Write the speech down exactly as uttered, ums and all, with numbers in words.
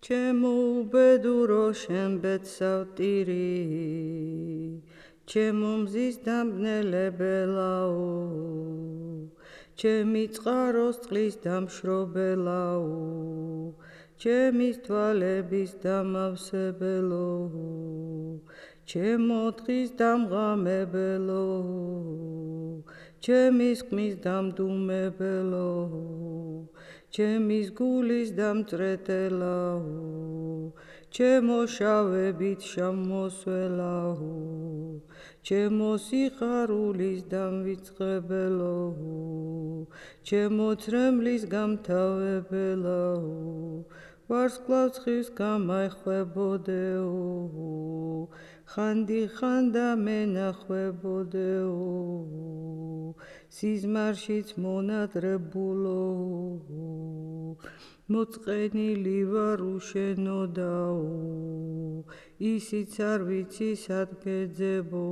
ჩემო უბედურო შენ ბედსავტირი ჩემო მზის დამბნელებელაო ჩემი წყაროს წყლის დამშრობელაო ჩემის თვალების დამავსებელო ჩემო დღის დამღამებელო ჩემის ხმის დამდუმებელო ჩემის გულის დამწრეტელაო ჩემო შავებით შემოსველაო ჩემო სიხარულის დამვიწყებელო ჩემო ცრემლის გამთავებელაო ვარსკვლავს ხის გამახვებოდეო ხანდი ხანდა მენახვებოდეო სიზმარშიც მონატრებულო მოწყენილი ვარ უშენოდაო ისიც არ ვიცი სად გეძებო